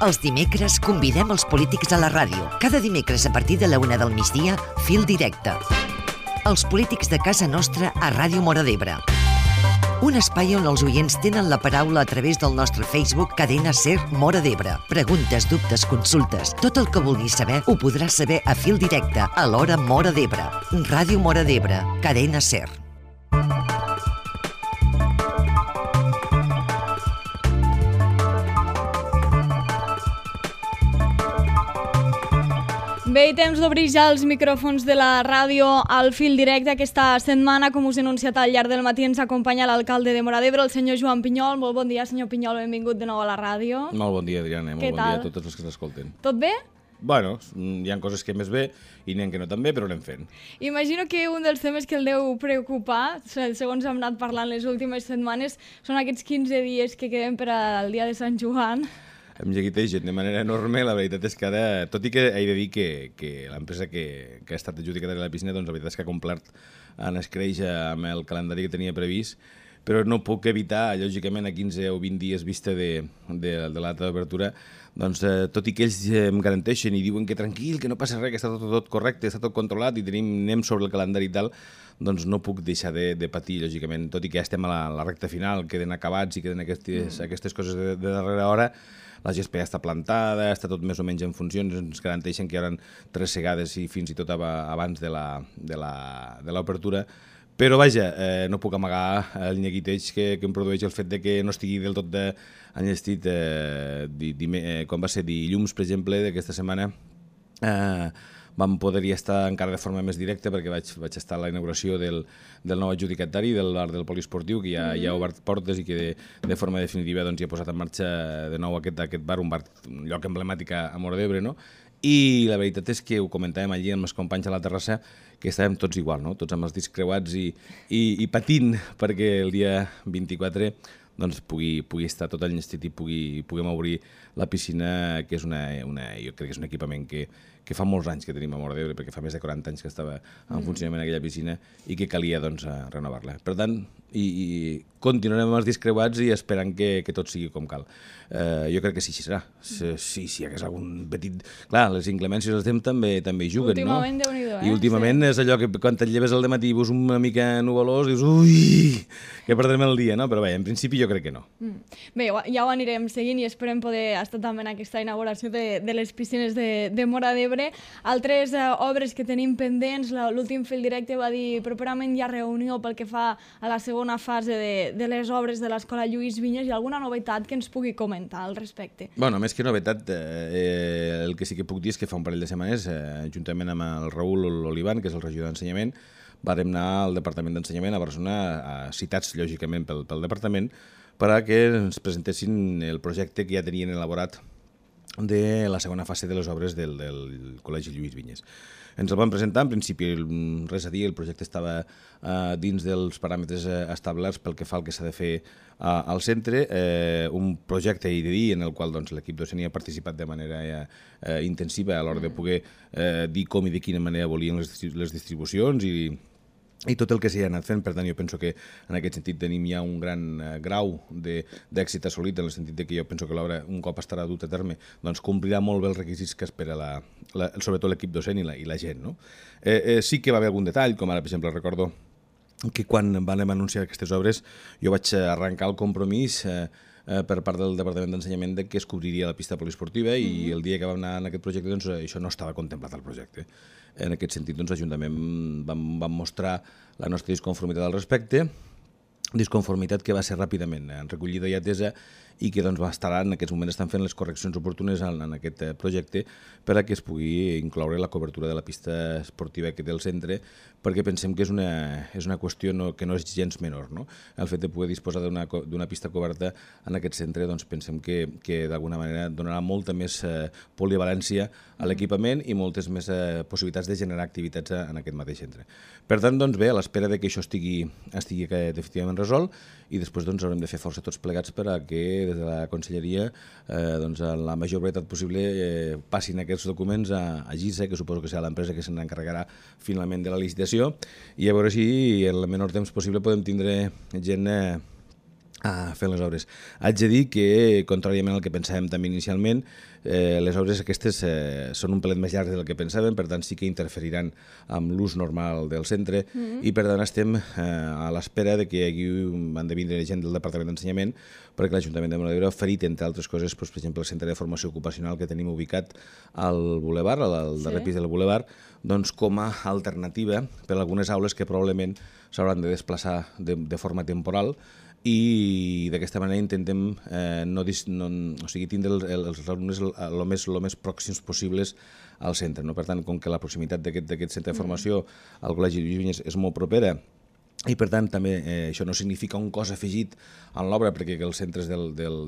Els dimecres convidem els polítics a la ràdio. Cada dimecres a partir de la 1 del migdia, Fil Directe. Els polítics de casa nostra a Ràdio Móra d'Ebre. Un espai on els oients tenen la paraula a través del nostre Facebook Cadena Ser Móra d'Ebre. Preguntes, dubtes, consultes, tot el que vulguis saber ho podràs saber a Fil Directe, a l'hora Móra d'Ebre. Ràdio Móra d'Ebre, Cadena Ser. Bé, temps d'obrir ja els micròfons de la ràdio al Fil Directe. Aquesta setmana, com us he anunciat al llarg del matí, ens acompanya l'alcalde de Móra d'Ebre, el senyor Joan Pinyol. Molt bon dia, senyor Pinyol, benvingut de nou a la ràdio. Molt bon dia, Adriana, molt bon dia a tots els que s'escolten. Tot bé? Bueno, hi ha coses que més bé i n'hi ha que no tan bé, però anem fent. Imagino que un dels temes que el deu preocupar, segons hem anat parlant les últimes setmanes, són aquests 15 dies que queden per al dia de Sant Joan. Em lleguitegen de manera enorme. La veritat és que ara, tot i que he de dir que l'empresa que ha estat adjudicada de la piscina, doncs la veritat és que ha complert en escreix amb el calendari que tenia previst, però no puc evitar, lògicament, a 15 o 20 dies vista de la data d'obertura, doncs tot i que ells em garanteixen i diuen que tranquil, que no passa res, que està tot correcte, està tot controlat i anem sobre el calendari i tal, doncs no puc deixar de patir, lògicament, tot i que ja estem a la recta final, queden acabats i queden aquestes coses de darrera hora. La gespa ja està plantada, està tot més o menys en funcions, ens garanteixen que hi haurà 3 segades i fins i tot abans de l'obertura. Però vaja, no puc amagar el neguiteig que em produeix el fet de que no estigui del tot enllestit. Com va ser dilluns, per exemple, d'aquesta setmana, vam poder-hi estar encara de forma més directa perquè vaig estar a la inauguració del nou adjudicatari del bar del poliesportiu, que ja ha obert portes i que de forma definitiva doncs, ja ha posat en marxa de nou aquest bar, un lloc emblemàtic a Móra d'Ebre, no? I la veritat és que ho comentàvem allí amb els companys a la terrassa, que estàvem tots igual, no? Tots amb els dits creuats i patint perquè el dia 24 doncs pugui estar tot enllestit i puguem obrir la piscina, que és jo crec que és un equipament que fa molts anys que tenim a Móra d'Ebre, perquè fa més de 40 anys que estava en funcionament aquella piscina i que calia doncs, renovar-la. Per tant, i continuarem amb els dits creuats i esperant que tot sigui com cal. Jo crec que sí, així serà. Sí, hi hagués algun petit... Clar, les inclemències del temps també hi juguen, no? Últimament, Déu-n'hi-do, I últimament és allò que quan et lleves al dematí i veus una mica nuvolós, dius, ui, que perdrem el dia, no? Però bé, en principi jo crec que no. Bé, ja ho anirem seguint i esperem poder estar també en aquesta inauguració de les piscines de Móra d'Ebre. Altres obres que tenim pendents, l'últim Fil Directe va dir properament hi ha reunió pel que fa a la segona fase de les obres de l'Escola Lluís Vinyes. Hi ha alguna novetat que ens pugui comentar al respecte? Bueno, més que novetat, el que sí que puc dir és que fa un parell de setmanes, juntament amb el Raül Olivan, que és el regidor d'Ensenyament, vam anar al Departament d'Ensenyament a Barcelona, citats lògicament pel departament, perquè ens presentessin el projecte que ja tenien elaborat de la segona fase de les obres del Col·legi Lluís Vinyes. Ens el van presentar, en principi res a dir, el projecte estava dins dels paràmetres establerts pel que fa al que s'ha de fer al centre, un projecte, he de dir, en el qual l'equip docent hi ha participat de manera intensiva a l'hora de poder dir com i de quina manera volien les distribucions i tot el que s'hi ha anat fent. Per tant, jo penso que en aquest sentit tenim ja un gran grau d'èxit assolit, en el sentit que jo penso que l'obra, un cop estarà dut a terme, doncs complirà molt bé els requisits que espera sobretot l'equip docent i la gent, no? Sí que va haver algun detall, com ara, per exemple, recordo que quan vam anunciar aquestes obres jo vaig arrencar el compromís per part del Departament d'Ensenyament que es cobriria la pista poliesportiva i el dia que vam anar en aquest projecte doncs, això no estava contemplat al projecte. En aquest sentit, doncs, l'Ajuntament vam mostrar la nostra disconformitat al respecte, disconformitat que va ser ràpidament recollida i atesa i que doncs, en aquests moments estan fent les correccions oportunes en aquest projecte per a que es pugui incloure la cobertura de la pista esportiva que té el centre, perquè pensem que és una qüestió que no és gens menor, no? El fet de poder disposar d'una pista coberta en aquest centre doncs, pensem que d'alguna manera donarà molta més polivalència a l'equipament i moltes més possibilitats de generar activitats en aquest mateix centre. Per tant, doncs, bé, a l'espera que això estigui definitivament resolt i després doncs, haurem de fer força tots plegats per a que des de la Conselleria doncs, a la major brevetat possible passin aquests documents a GISA, que suposo que serà l'empresa que se n'encarregarà finalment de la licitació, i a veure si en el menor temps possible podem tindre gent fent les obres. Haig de dir que, contràriament al que pensàvem també inicialment, les obres aquestes són un pelet més llargues del que pensàvem, per tant sí que interferiran amb l'ús normal del centre i per tant estem a l'espera de que han de vindre gent del Departament d'Ensenyament perquè l'Ajuntament de Móra d'Ebre ha oferit, entre altres coses, per exemple, el centre de formació ocupacional que tenim ubicat al Boulevard, al darrer pis del Boulevard, doncs com a alternativa per a algunes aules que probablement s'hauran de desplaçar de forma temporal i d'aquesta manera intentem tindre els alumnes el més pròxims possibles al centre. Per tant, com que la proximitat d'aquest centre de formació al Col·legi Lluís Vinyes és molt propera i per tant també això no significa un cost afegit en l'obra perquè els centres de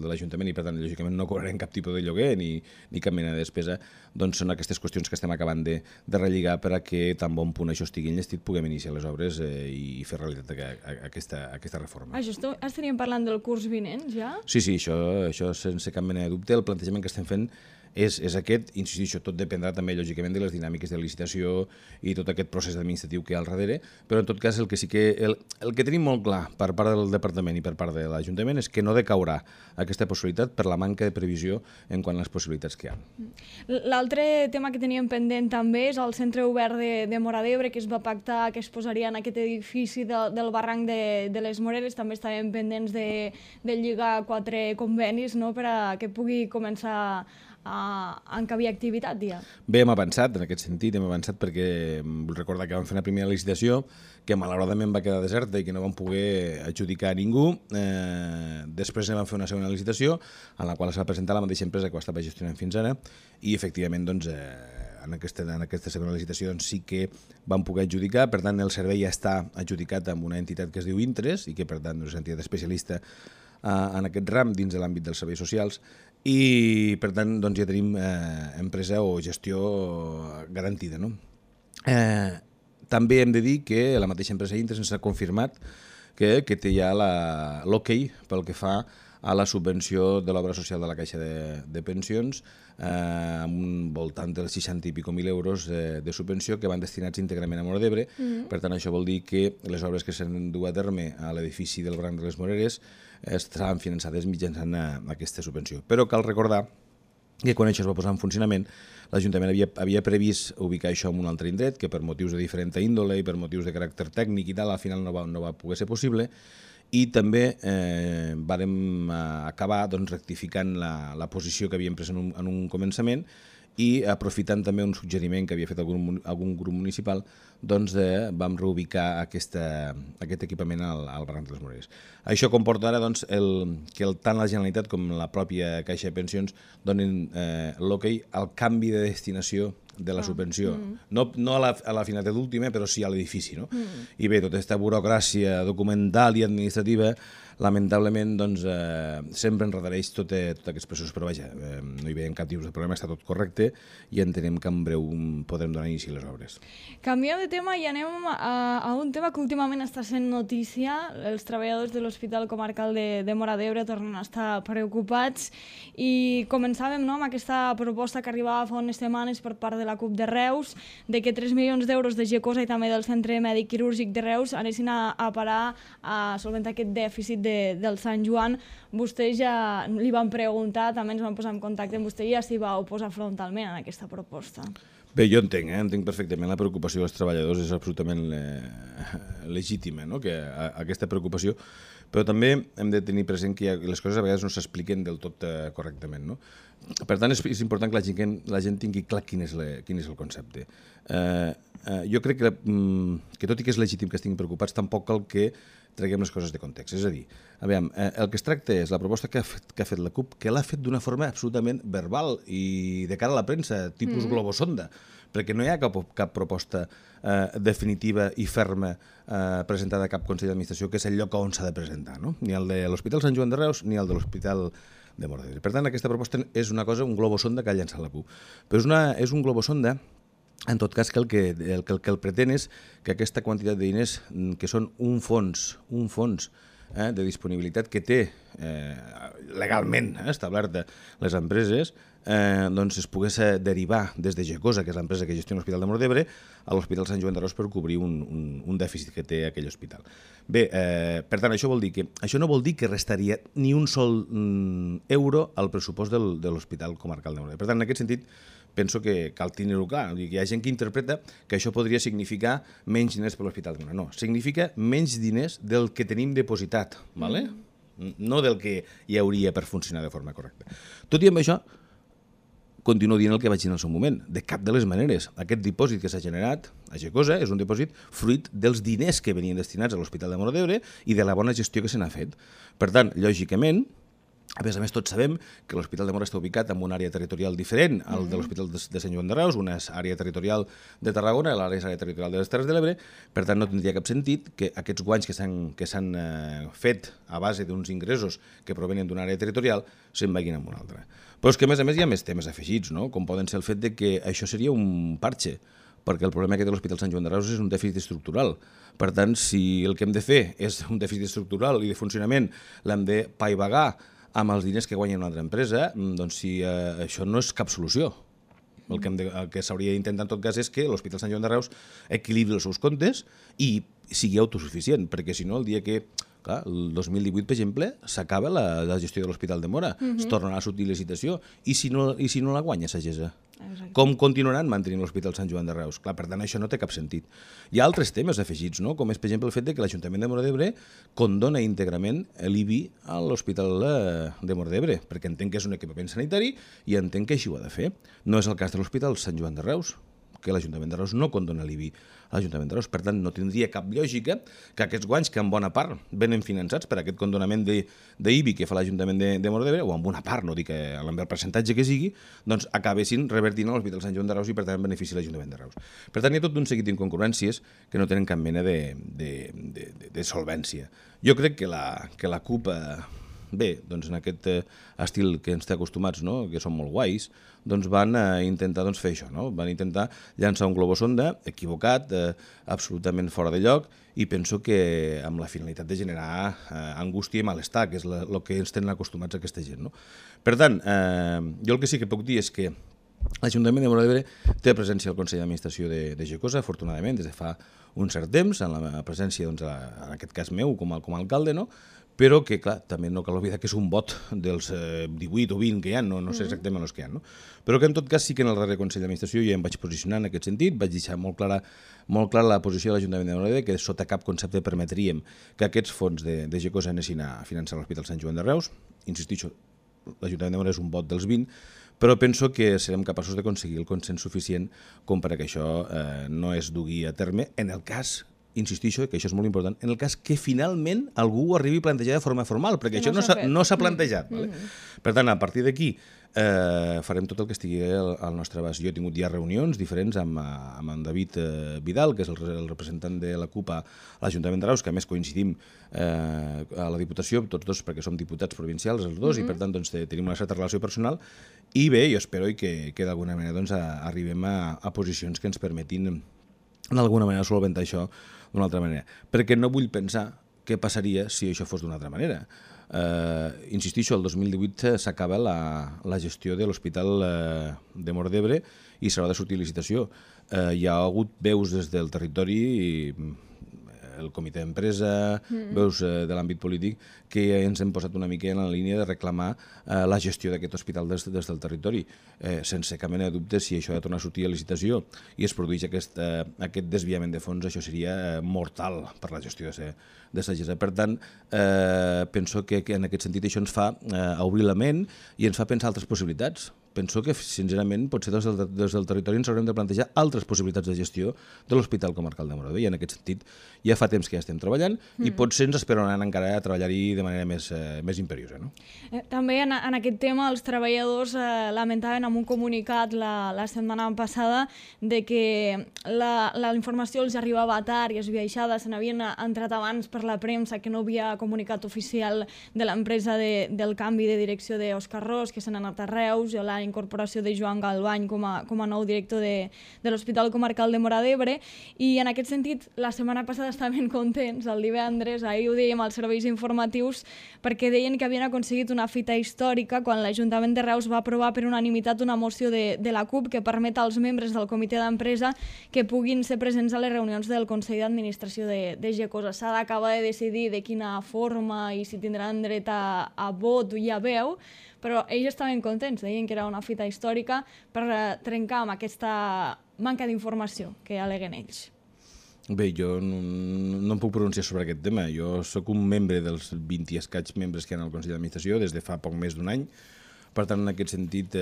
l'Ajuntament i per tant lògicament no cobrarem cap tipus de lloguer ni cap mena de despesa, doncs són aquestes qüestions que estem acabant de relligar per a que tan bon punt això estigui enllestit puguem iniciar les obres i fer realitat aquesta reforma. Això estaríem parlant del curs vinent ja? Sí, això sense cap mena de dubte. El plantejament que estem fent és aquest, insistixo, tot dependrà també lògicament de les dinàmiques de licitació i tot aquest procés administratiu que hi ha al darrere, però en tot cas el que tenim molt clar per part del Departament i per part de l'Ajuntament és que no decaurà aquesta possibilitat per la manca de previsió en quant a les possibilitats que hi ha. L'altre tema que teníem pendent també és el centre obert de Móra d'Ebre que es va pactar que es posaria en aquest edifici del barranc de les Moreres. També estàvem pendents de lligar 4 convenis per a que pugui començar a encabir activitat, ja. Bé, hem avançat en aquest sentit, perquè vull recordar que vam fer una primera licitació que malauradament va quedar deserta i que no vam poder adjudicar a ningú. Després vam fer una segona licitació en la qual es va presentar la mateixa empresa que ho estava gestionant fins ara i efectivament doncs, en aquesta segona licitació doncs, sí que vam poder adjudicar, per tant el servei ja està adjudicat amb una entitat que es diu Intres i que per tant és una entitat especialista en aquest ram dins de l'àmbit dels serveis socials i per tant doncs, ja tenim empresa o gestió garantida. També hem de dir que la mateixa empresa Intres ens ha confirmat que té ja l'OK pel que fa a la subvenció de l'obra social de la Caixa de Pensions amb un voltant dels 60 i pico mil euros de subvenció que van destinats íntegrament a Móra d'Ebre. Per tant, això vol dir que les obres que s'han dut a terme a l'edifici del Barranc de les Moreres estaran finançades mitjançant aquesta subvenció. Però cal recordar que quan això es va posar en funcionament, l'Ajuntament havia previst ubicar això en un altre indret, que per motius de diferent índole i per motius de caràcter tècnic i tal, al final no va poder ser possible, i també vàrem acabar rectificant la posició que havíem pres en un començament i aprofitant també un suggeriment que havia fet algun grup municipal, doncs vam reubicar aquest equipament al Barranc de les Moreres. Això comporta ara que tant la Generalitat com la pròpia Caixa de Pensions donin l'hoquei al canvi de destinació de la subvenció. No a la finalitat última, però sí a l'edifici. I bé, tota aquesta burocràcia documental i administrativa lamentablement sempre enredareix tots aquests processos, però vaja, no hi veiem cap tipus de problema, està tot correcte i entenem que en breu podrem donar inici a les obres. Canviem de tema i anem a un tema que últimament està sent notícia. Els treballadors de l'Hospital Comarcal de Móra d'Ebre tornen a estar preocupats i començàvem amb aquesta proposta que arribava fa unes setmanes per part de la CUP de Reus de que 3 milions d'euros de GECOSA i també del Centre Mèdic Quirúrgic de Reus anessin a parar a solventar aquest dèficit del Sant Joan. Vostè ja li van preguntar, també ens van posar en contacte amb vostè i ja s'hi va oposar frontalment a aquesta proposta. Bé, jo entenc perfectament la preocupació dels treballadors, és absolutament legítima, que aquesta preocupació, però també hem de tenir present que les coses a vegades no s'expliquen del tot correctament. Per tant, és important que la gent tingui clar quin és el concepte. Jo crec que tot i que és legítim que estiguin preocupats, tampoc cal que traguem les coses de context. És a dir, el que es tracta és la proposta que ha fet la CUP, que l'ha fet d'una forma absolutament verbal i de cara a la premsa, tipus globosonda, perquè no hi ha cap proposta definitiva i ferma presentada a cap Consell d'Administració, que és el lloc on s'ha de presentar, ni el de l'Hospital Sant Joan de Reus ni el de l'Hospital de Móra d'Ebre. Per tant, aquesta proposta és una cosa, un globosonda que ha llançat la CUP. Però és un globosonda, en tot cas, que el pretén és que aquesta quantitat de diners, que són un fons de disponibilitat que té legalment establerta les empreses, doncs es pogués derivar des de Gecosa, que és l'empresa que gestiona l'Hospital de Móra d'Ebre, a l'Hospital Sant Joan de Reus per cobrir un dèficit que té aquell hospital. Bé, per tant, això no vol dir que restaria ni un sol euro al pressupost de l'Hospital Comarcal de Móra d'Ebre. Per tant, en aquest sentit, penso que cal tenir-ho clar. Hi ha gent que interpreta que això podria significar menys diners per l'Hospital de Móra. No, significa menys diners del que tenim depositat, ¿vale? No del que hi hauria per funcionar de forma correcta. Tot i amb això, continuo dient el que vaig dir en el seu moment. De cap de les maneres. Aquest dipòsit que s'ha generat a Gecosa és un dipòsit fruit dels diners que venien destinats a l'Hospital de Móra d'Ebre i de la bona gestió que se n'ha fet. Per tant, lògicament, a més, tots sabem que l'Hospital de Móra està ubicat en una àrea territorial diferent al de l'Hospital de Sant Joan de Reus, una és àrea territorial de Tarragona, l'altra és àrea territorial de les Terres de l'Ebre, per tant no tindria cap sentit que aquests guanys que s'han fet a base d'uns ingressos que provenen d'una àrea territorial se'n vagin en una altra. Però és que, a més, hi ha més temes afegits, no? Com poden ser el fet de que això seria un parche, perquè el problema que té l'Hospital Sant Joan de Reus és un dèficit estructural. Per tant, si el que hem de fer és un dèficit estructural i de funcionament l'hem de paivagar amb els diners que guanya una altra empresa, doncs si això no és cap solució. El que s'hauria d'intentar en tot cas és que l'Hospital Sant Joan de Reus equilibri els seus comptes i sigui autosuficient, perquè si no, el dia que, clar, el 2018, per exemple, s'acaba la gestió de l'Hospital de Móra, es tornarà a sortir licitació, i si no la guanya Sagesa? Com continuaran mantenint l'Hospital Sant Joan de Reus? Clar, per tant, això no té cap sentit. Hi ha altres temes afegits, no? Com és, per exemple, el fet de que l'Ajuntament de Móra d'Ebre condona íntegrament l'IBI a l'Hospital de Móra d'Ebre, perquè entenc que és un equipament sanitari i entenc que així ho ha de fer. No és el cas de l'Hospital Sant Joan de Reus, que l'Ajuntament de Reus no condona l'IBI a l'Ajuntament de Reus. Per tant, no tindria cap lògica que aquests guanys, que en bona part venen finançats per aquest condonament d'IBI que fa l'Ajuntament de Móra d'Ebre, o en bona part, no dic amb el percentatge que sigui, doncs acabessin revertint a l'Hospital Sant Joan de Reus i per tant benefici l'Ajuntament de Reus. Per tant, hi ha tot un seguit d'incongruències que no tenen cap mena de solvència. Jo crec que la CUP... Bé, doncs en aquest estil que ens té acostumats, no? Que són molt guais, doncs van intentar fer això, no? Van intentar llançar un globosonda equivocat, absolutament fora de lloc, i penso que amb la finalitat de generar angústia i malestar, que és el que ens tenen acostumats aquesta gent, no? Per tant, jo el que sí que puc dir és que l'Ajuntament de Móra d'Ebre té presència al Consell d'Administració de Gecosa, afortunadament, des de fa un cert temps, en la presència, doncs, en aquest cas meu, com a alcalde, no? Però que, clar, també no cal oblidar que és un vot dels 18 o 20 que hi ha, no sé exactament els que hi ha, no? Però que en tot cas sí que en el darrer Consell d'Administració jo em vaig posicionar en aquest sentit, vaig deixar molt clara la posició de l'Ajuntament de Móra d'Ebre, que sota cap concepte permetríem que aquests fons de Gecosa anessin a finançar l'Hospital Sant Joan de Reus. Insistixo, l'Ajuntament de Móra és un vot dels 20, però penso que serem capaços d'aconseguir el consens suficient com per a que això no es dugui a terme en el cas, insistixo, que això és molt important, en el cas que finalment algú ho arribi a plantejar de forma formal, perquè això no s'ha plantejat. Per tant, a partir d'aquí farem tot el que estigui al nostre abast. Jo he tingut ja reunions diferents amb en David Vidal, que és el representant de la CUP a l'Ajuntament de Reus, que a més coincidim a la Diputació, tots dos perquè som diputats provincials, els dos, i per tant tenim una certa relació personal, i bé, jo espero que d'alguna manera arribem a posicions que ens permetin d'alguna manera solventar això d'una altra manera. Perquè no vull pensar què passaria si això fos d'una altra manera. Insistixo, el 2018 s'acaba la gestió de l'Hospital de Móra d'Ebre i s'haurà de sortir licitació. Hi ha hagut veus des del territori, el comitè d'empresa, veus de l'àmbit polític, que ens hem posat una mica en la línia de reclamar la gestió d'aquest hospital des del territori. Sense cap mena de dubte, si això ha de tornar a sortir a licitació i es produeix aquest desviament de fons, això seria mortal per la gestió de Sagesa. Per tant, penso que en aquest sentit això ens fa obrir la ment i ens fa pensar altres possibilitats. Penso que, sincerament, potser des del territori ens haurem de plantejar altres possibilitats de gestió de l'Hospital Comarcal de Móra d'Ebre, i en aquest sentit ja fa temps que ja estem treballant i potser ens esperaran encara a treballar-hi de manera més imperiosa. No? També en aquest tema els treballadors lamentaven en un comunicat la setmana passada de que la informació els arribava tard i es viaixada, se n'havien entrat abans per la premsa, que no havia comunicat oficial de l'empresa del canvi de direcció d'Òscar Ros, que se n'ha anat a Reus, i l'any incorporació de Joan Galbany com a nou director de l'Hospital Comarcal de Móra d'Ebre, i en aquest sentit la setmana passada estaven contents, el divendres, ahir ho dèiem als serveis informatius, perquè deien que havien aconseguit una fita històrica quan l'Ajuntament de Reus va aprovar per unanimitat una moció de la CUP que permet als membres del comitè d'empresa que puguin ser presents a les reunions del Consell d'Administració de Gecosa. S'ha d'acabar de decidir de quina forma i si tindran dret a vot i a veu, però ells estaven contents, deien que era una fita històrica per trencar amb aquesta manca d'informació que al·leguen ells. Bé, jo no em puc pronunciar sobre aquest tema. Jo sóc un membre dels 20 i escaig membres que hi ha al Consell d'Administració des de fa poc més d'un any. Per tant, en aquest sentit,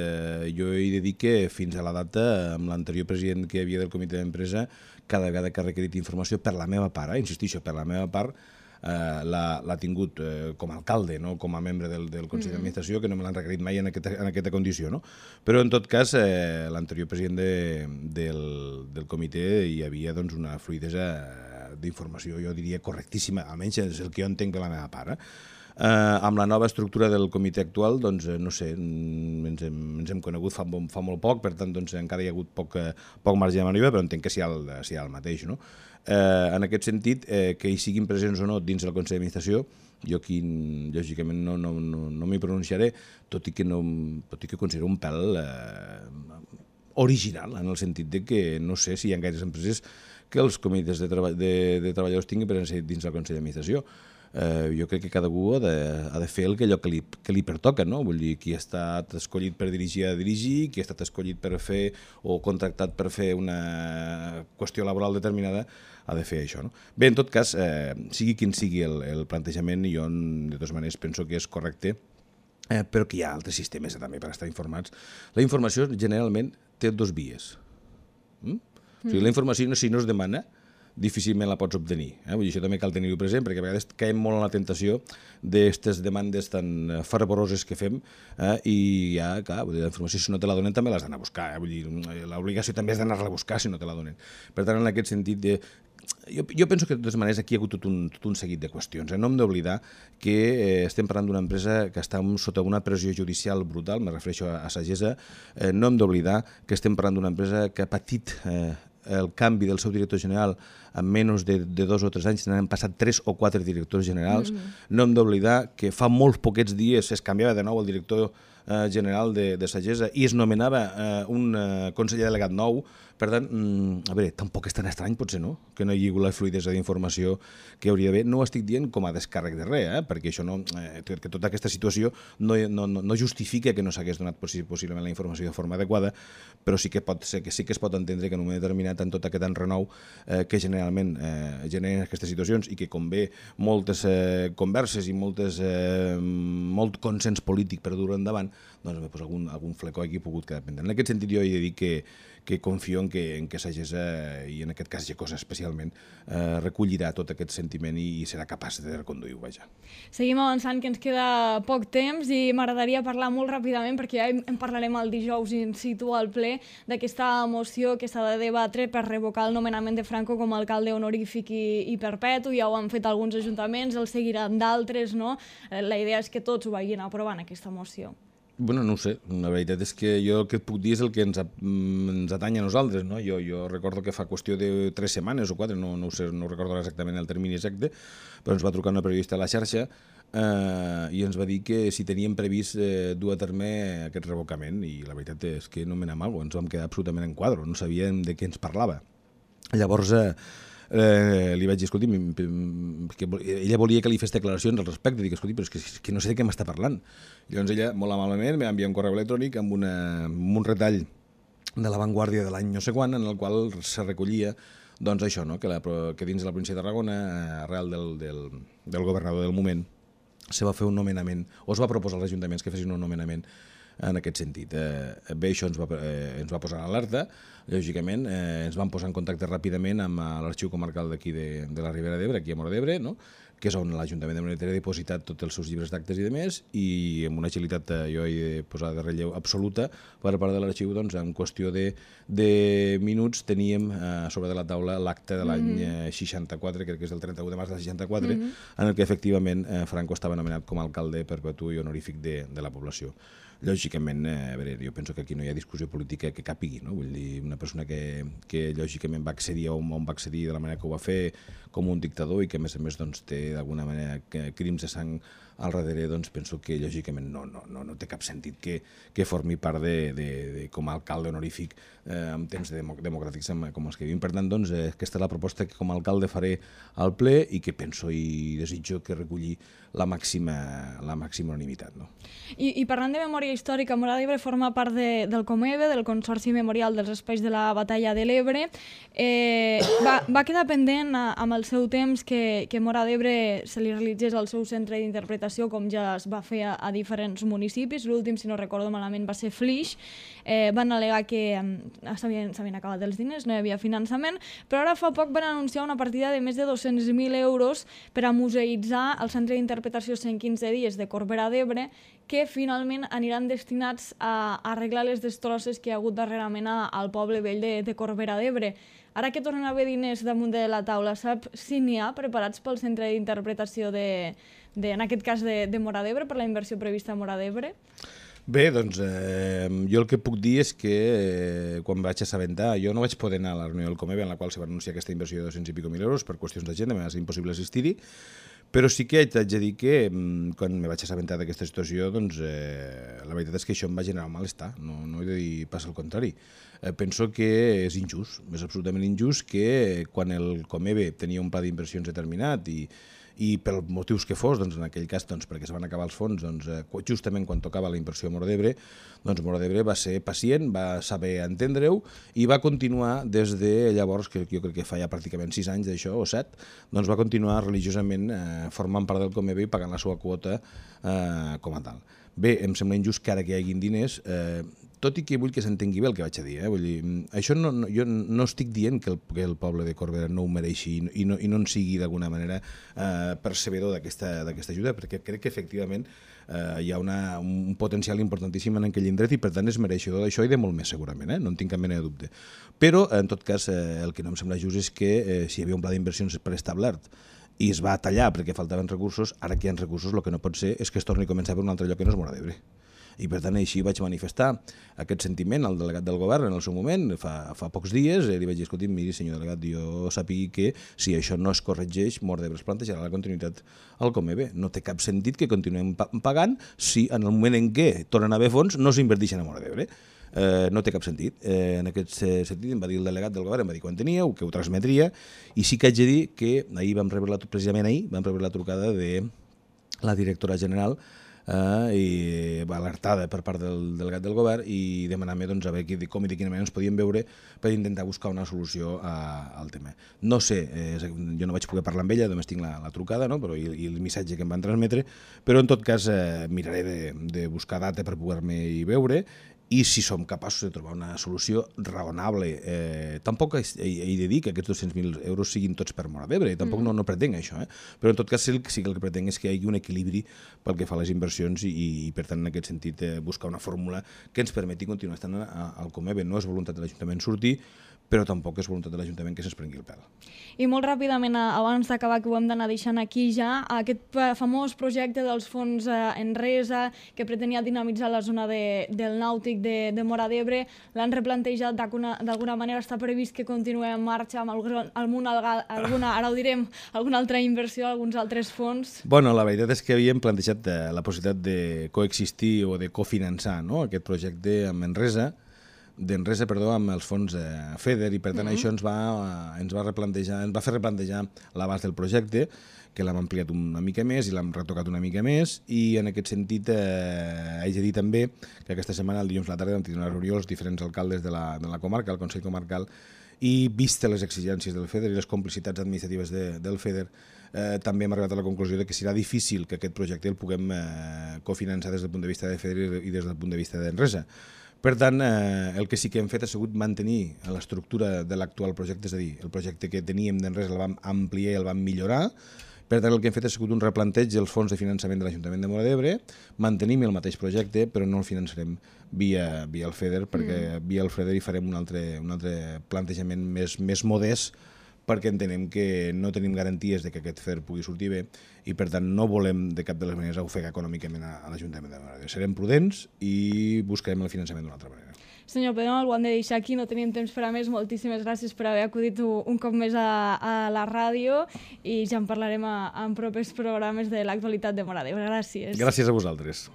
jo he de dir que fins a la data, amb l'anterior president que hi havia del comitè d'empresa, cada vegada que ha requerit informació per la meva part, insistixo, per la meva part, l'ha tingut com a alcalde, no com a membre del Consell d'Administració, que no me l'han requerit mai en aquesta condició. No? Però, en tot cas, l'anterior president del comitè hi havia doncs, una fluidesa d'informació, jo diria, correctíssima, almenys és el que jo entenc de la meva part. Amb la nova estructura del comitè actual, doncs, no sé, ens hem conegut fa molt poc, per tant, doncs, encara hi ha hagut poc marge de maniobra, però entenc que s'hi ha el mateix. No? En aquest sentit, que hi siguin presents o no dins del Consell d'Administració, jo aquí, lògicament, no m'hi pronunciaré, tot i que considero un pèl original, en el sentit de que no sé si hi ha gaires empreses que els comitès de treballadors tinguin presència dins del Consell d'Administració. Jo crec que cada un ha de fer allò que li pertoca, no? Vull dir, qui ha estat escollit per dirigir ha de dirigir, qui ha estat escollit per fer o contractat per fer una qüestió laboral determinada ha de fer això, no? Bé, en tot cas, sigui quin sigui el plantejament, jo de totes maneres penso que és correcte, però que hi ha altres sistemes també per estar informats. La informació generalment té dos vies. O sigui, la informació, si no es demana, difícilment la pots obtenir. Vull dir, això també cal tenir-ho present, perquè a vegades caiem molt en la tentació d'aquestes demandes tan fervoroses que fem i ja, clar, la informació, si no te la donen, també l'has d'anar a buscar. Vull dir, l'obligació també és d'anar-la a buscar si no te la donen. Per tant, en aquest sentit, jo penso que de totes maneres aquí hi ha hagut tot un seguit de qüestions. No hem d'oblidar que estem parlant d'una empresa que està sota una pressió judicial brutal, me refereixo a Sagesa. No hem d'oblidar que estem parlant d'una empresa que ha patit el canvi del seu director general en menys de 2 o 3 anys, n'han passat 3 o 4 directors generals. No hem d'oblidar que fa molts poquets dies es canviava de nou el director general de Sagesa i es nomenava un conseller delegat nou. Per tant, a veure, tampoc és tan estrany, potser no, que no hi hagi la fluidesa d'informació que hauria d'haver. No ho estic dient com a descàrrec de res, perquè això no, que tota aquesta situació no justifica que no s'hagués donat possiblement la informació de forma adequada, però sí que es pot entendre que en un moment determinat, en tot aquest enrenou que generalment generen aquestes situacions i que convé moltes converses i molt consens polític per dur-ho endavant, doncs algun flecó aquí ha pogut quedar pendent. En aquest sentit, jo he de dir que confio en que Sagesa, i en aquest cas Gecosa especialment, recollirà tot aquest sentiment i serà capaç de reconduir-ho. Seguim avançant, que ens queda poc temps i m'agradaria parlar molt ràpidament, perquè ja en parlarem el dijous in situ al ple, d'aquesta moció que s'ha de debatre per revocar el nomenament de Franco com a alcalde honorífic i perpetu. Ja ho han fet alguns ajuntaments, el seguiran d'altres, no? La idea és que tots ho vagin aprovant, aquesta moció. Bueno, no ho sé, la veritat és que jo el que et puc dir és el que ens atanya a nosaltres, no? Jo recordo que fa qüestió de 3 setmanes o 4, no sé, no recordo exactament el termini exacte, però ens va trucar una periodista a la xarxa i ens va dir que si teníem previst dur a terme aquest revocament, i la veritat és que no m'anava mal, ens vam quedar absolutament en quadro, no sabíem de què ens parlava. Llavors li vaig dir, escolti, ella volia que li fes declaracions al respecte, dic, escolti, però és que no sé de què m'està parlant. Llavors ella, molt amablement, m'ha enviat un correu electrònic amb un retall de La Vanguardia de l'any no sé quan, en el qual se recollia doncs això, no? Que dins de la província de Tarragona, arrel del governador del moment, se va fer un nomenament, o es va proposar als ajuntaments que fessin un nomenament en aquest sentit. Bé, això ens va posar en alerta, lògicament, ens vam posar en contacte ràpidament amb l'Arxiu Comarcal d'aquí de la Ribera d'Ebre, aquí a Móra d'Ebre, no? que és on l'Ajuntament de Monedero ha depositat tots els seus llibres d'actes i de més, i amb una agilitat, jo he de posar de relleu absoluta, per part de l'arxiu, doncs, en qüestió de minuts teníem sobre de la taula l'acte de l'any 64, crec que és del 31 de març del 64, en el que efectivament Franco estava nomenat com a alcalde perpetu i honorífic de la població. Lògicament, a veure, jo penso que aquí no hi ha discussió política que capigui, no? Vull dir, una persona que lògicament va accedir on va accedir de la manera que ho va fer, com un dictador, i que a més doncs, té d'alguna manera crims de sang al darrere, doncs penso que lògicament no té cap sentit que formi part com a alcalde honorífic en temps democràtics com els que vivim. Per tant, doncs, aquesta és la proposta que com a alcalde faré al ple i que penso i desitjo que reculli la màxima unanimitat. No? I parlant de memòria històrica, Móra d'Ebre forma part del Comebe, del Consorci Memorial dels Espais de la Batalla de l'Ebre. Va quedar pendent amb el seu temps que Móra d'Ebre se li realitzés el seu centre d'interpretació, com ja es va fer a diferents municipis. L'últim, si no recordo malament, va ser Flix. Van al·legar que s'havien acabat els diners, no hi havia finançament, però ara fa poc van anunciar una partida de més de 200.000 euros per a museïtzar el centre d'interpretació 115 dies de Corbera d'Ebre, que finalment aniran destinats a arreglar les destrosses que hi ha hagut darrerament al poble vell de Corbera d'Ebre. Ara que tornen a haver diners damunt de la taula, sap si n'hi ha preparats pel centre d'interpretació en aquest cas de Móra d'Ebre, per la inversió prevista a Móra d'Ebre? Bé, doncs jo el que puc dir és que quan vaig assabentar, jo no vaig poder anar a la reunió del Comebe en la qual se va anunciar aquesta inversió de 200 i pico mil euros per qüestions d'agenda, m'ha estat impossible assistir-hi, però sí que haig de dir que quan me vaig assabentar d'aquesta situació, doncs la veritat és que això em va generar un malestar, no he de dir pas al contrari. Penso que és injust, és absolutament injust que quan el Comebe tenia un pla d'inversions determinat i per motius que fos, doncs en aquell cas perquè es van acabar els fons, doncs, justament quan tocava la inversió a Móra d'Ebre, doncs Móra d'Ebre va ser pacient, va saber entendre-ho i va continuar des de llavors, que jo crec que fa ja pràcticament 6 anys d'això, o 7, doncs va continuar religiosament formant part del Comebe i pagant la seva quota com a tal. Bé, em sembla injust que ara que hi haguin diners, tot i que vull que s'entengui bé el que vaig a dir, vull dir, això jo no estic dient que el poble de Corbera no ho mereixi i no en sigui d'alguna manera percebedor d'aquesta ajuda, perquè crec que efectivament hi ha un potencial importantíssim en aquell indret i per tant és mereixedor d'això i de molt més segurament, no en tinc cap mena de dubte. Però en tot cas el que no em sembla just és que si hi havia un pla d'inversions preestablert i es va tallar perquè faltaven recursos, ara que hi ha recursos el que no pot ser és que es torni a començar per un altre lloc que no és Móra d'Ebre. I per tant així vaig manifestar aquest sentiment al delegat del govern en el seu moment, fa pocs dies, li vaig dir, escolti, miri senyor delegat, jo sàpigui que si això no es corregeix, Móra d'Ebre es plantejarà la continuïtat al Comebe. No té cap sentit que continuem pagant si en el moment en què tornen a haver fons no s'inverteixen a Móra d'Ebre. No té cap sentit. En aquest sentit em va dir el delegat del govern, em va dir quan tenia, que ho transmetria, i sí que haig de dir que precisament ahir vam rebre la trucada de la directora general i va alertada per part del delegat del govern i demanant-me a veure com i de quina manera ens podíem veure per intentar buscar una solució al tema. No sé, jo no vaig poder parlar amb ella, només tinc la trucada i el missatge que em van transmetre, però en tot cas miraré de buscar data per poder-me veure i si som capaços de trobar una solució raonable. Tampoc he de dir que aquests 200.000 euros siguin tots per Móra d'Ebre, tampoc no pretenc això, però en tot cas sí que el que pretenc és que hi hagi un equilibri pel que fa a les inversions i per tant en aquest sentit buscar una fórmula que ens permeti continuar estant al Comebe. No és voluntat de l'Ajuntament sortir, però tampoc és voluntat de l'Ajuntament que se'ns prengui el pèl. I molt ràpidament, abans d'acabar, que ho hem d'anar deixant aquí ja, aquest famós projecte dels fons Enresa, que pretenia dinamitzar la zona del nàutic de Móra d'Ebre, l'han replantejat d'alguna manera, està previst que continuï en marxa amb ara ho direm, alguna altra inversió, alguns altres fons? Bueno, la veritat és que havíem plantejat la possibilitat de coexistir o de cofinançar aquest projecte amb Enresa, amb els fons FEDER, i per tant això ens va fer replantejar l'abast del projecte, que l'hem ampliat una mica més i l'hem retocat una mica més, i en aquest sentit haig de dir també que aquesta setmana, el dilluns a la tarda, vam tenir una reunió els diferents alcaldes de la comarca, el Consell Comarcal, i vista les exigències del FEDER i les complicitats administratives del FEDER, també hem arribat a la conclusió que serà difícil que aquest projecte el puguem cofinançar des del punt de vista de FEDER i des del punt de vista d'Enresa. Per tant, el que sí que hem fet ha sigut mantenir l'estructura de l'actual projecte, és a dir, el projecte que teníem d'Enresa el vam ampliar i el vam millorar, Per tant, el que hem fet ha sigut un replanteig dels fons de finançament de l'Ajuntament de Móra d'Ebre, mantenim el mateix projecte, però no el finançarem via el FEDER, perquè via el FEDER hi farem un altre plantejament més modest, perquè entenem que no tenim garanties de que aquest FEDER pugui sortir bé i, per tant, no volem de cap de les maneres ofegar econòmicament a l'Ajuntament de Móra d'Ebre. Serem prudents i buscarem el finançament d'una altra manera. Senyor Pedrol, ho hem de deixar aquí, no tenim temps per a més. Moltíssimes gràcies per haver acudit un cop més a la ràdio i ja en parlarem en propers programes de l'actualitat de Móra d'Ebre. Gràcies. Gràcies a vosaltres.